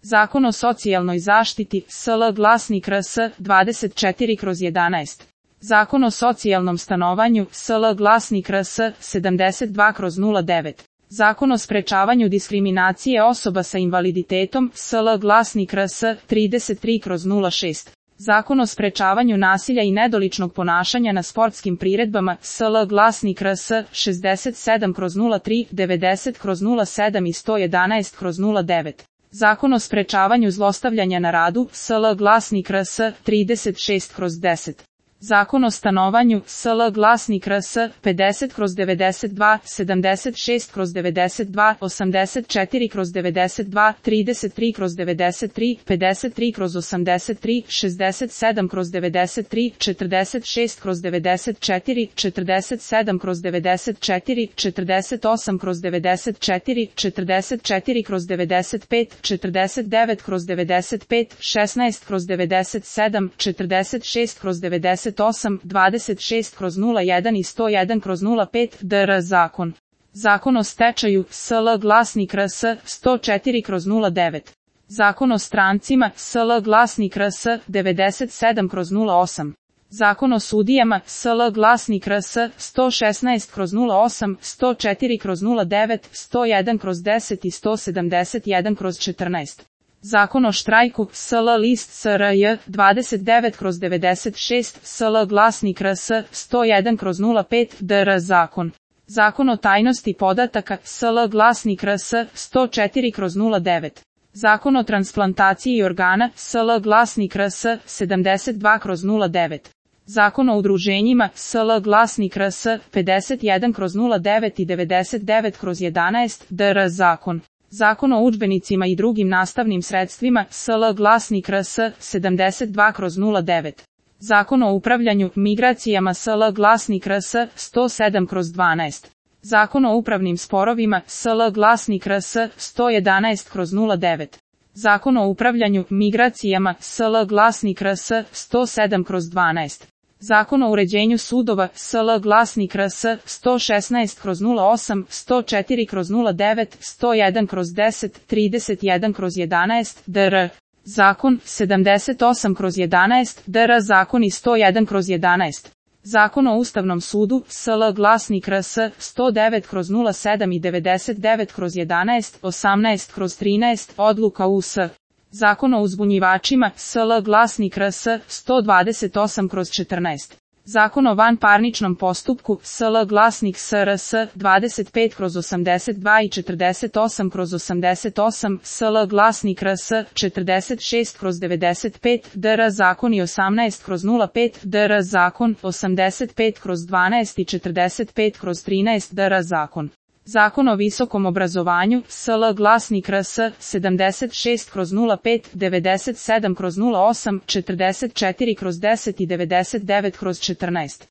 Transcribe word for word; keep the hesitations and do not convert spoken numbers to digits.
Zakon o socijalnoj zaštiti, S L glasnik R S dvadeset četiri kroz jedanaest. Zakon o socijalnom stanovanju, S L glasnik R S sedamdeset dva kroz nula devet. Zakon o sprečavanju diskriminacije osoba sa invaliditetom, S L glasnik R S trideset tri kroz nula šest. Zakon o sprečavanju nasilja i nedoličnog ponašanja na sportskim priredbama, S L glasnik R S šezdeset sedam kroz nula tri, devedeset kroz nula sedam i sto jedanaest kroz nula devet. Zakon o sprečavanju zlostavljanja na radu, S L glasnik R S trideset šest kroz deset. Zakon o stanovanju, S L glasnik R S pedeset kroz devedeset dva, sedamdeset šest kroz devedeset dva, osamdeset četiri kroz devedeset dva, trideset tri kroz devedeset tri, pedeset tri kroz osamdeset tri, šezdeset sedam kroz devedeset tri, četrdeset šest kroz devedeset četiri, četrdeset sedam kroz devedeset četiri, četrdeset osam kroz devedeset četiri, četrdeset četiri kroz devedeset pet, četrdeset devet kroz devedeset pet, šesnaest kroz devedeset sedam, četrdeset šest kroz devedeset osam, dvadeset šest kroz nula jedan i sto jedan kroz nula pet, D R zakon. Zakon o stečaju, S L glasnik R S sto četiri kroz nula devet. Zakon o strancima, S L glasnik R S devedeset sedam kroz nula osam. Zakon o sudijama, S L glasnik R S sto šesnaest kroz nula osam, sto četiri kroz nula devet, sto jedan kroz deset i sto sedamdeset jedan kroz četrnaest. Zakon o štrajku, S L list S R J dvadeset devet kroz devedeset šest, S L glasnik R S sto jedan kroz nula pet, D R zakon. Zakon o tajnosti podataka, S L glasnik R S sto četiri kroz nula devet. Zakon o transplantaciji organa, S L glasnik R S sedamdeset dva kroz nula devet. Zakon o udruženjima, S L glasnik R S pedeset jedan kroz nula devet i devedeset devet kroz jedanaest, D R zakon. Zakon o udžbenicima i drugim nastavnim sredstvima, S L glasnik R S sedamdeset dva kroz nula devet. Zakon o upravljanju migracijama, S L glasnik R S sto sedam kroz dvanaest. Zakon o upravnim sporovima, S L glasnik R S sto jedanaest kroz nula devet. Zakon o upravljanju migracijama, S L glasnik R S sto sedam kroz dvanaest. Zakon o uređenju sudova, S L glasnik R S sto šesnaest kroz nula osam, sto četiri kroz nula devet, sto jedan kroz deset, trideset jedan kroz jedanaest, D R zakon, sedamdeset osam kroz jedanaest, D R zakon i sto jedan kroz jedanaest. Zakon o Ustavnom sudu, S L glasnik R S sto devet kroz nula sedam i devedeset devet kroz jedanaest, osamnaest kroz trinaest, odluka U S. Zakon o uzbunjivačima, S L glasnik R S sto dvadeset osam kroz četrnaest. Zakon o vanparničnom postupku, S L glasnik S R S dvadeset pet kroz osamdeset dva i četrdeset osam kroz osamdeset osam, S L glasnik R S četrdeset šest kroz devedeset pet, D R zakon i osamnaest kroz nula pet, D R zakon, osamdeset pet kroz dvanaest i četrdeset pet kroz trinaest, D R zakon. Zakon o visokom obrazovanju, S L glasnik R S sedamdeset šest kroz nula pet, devedeset sedam kroz nula osam, četrdeset četiri kroz deset i devedeset devet kroz četrnaest.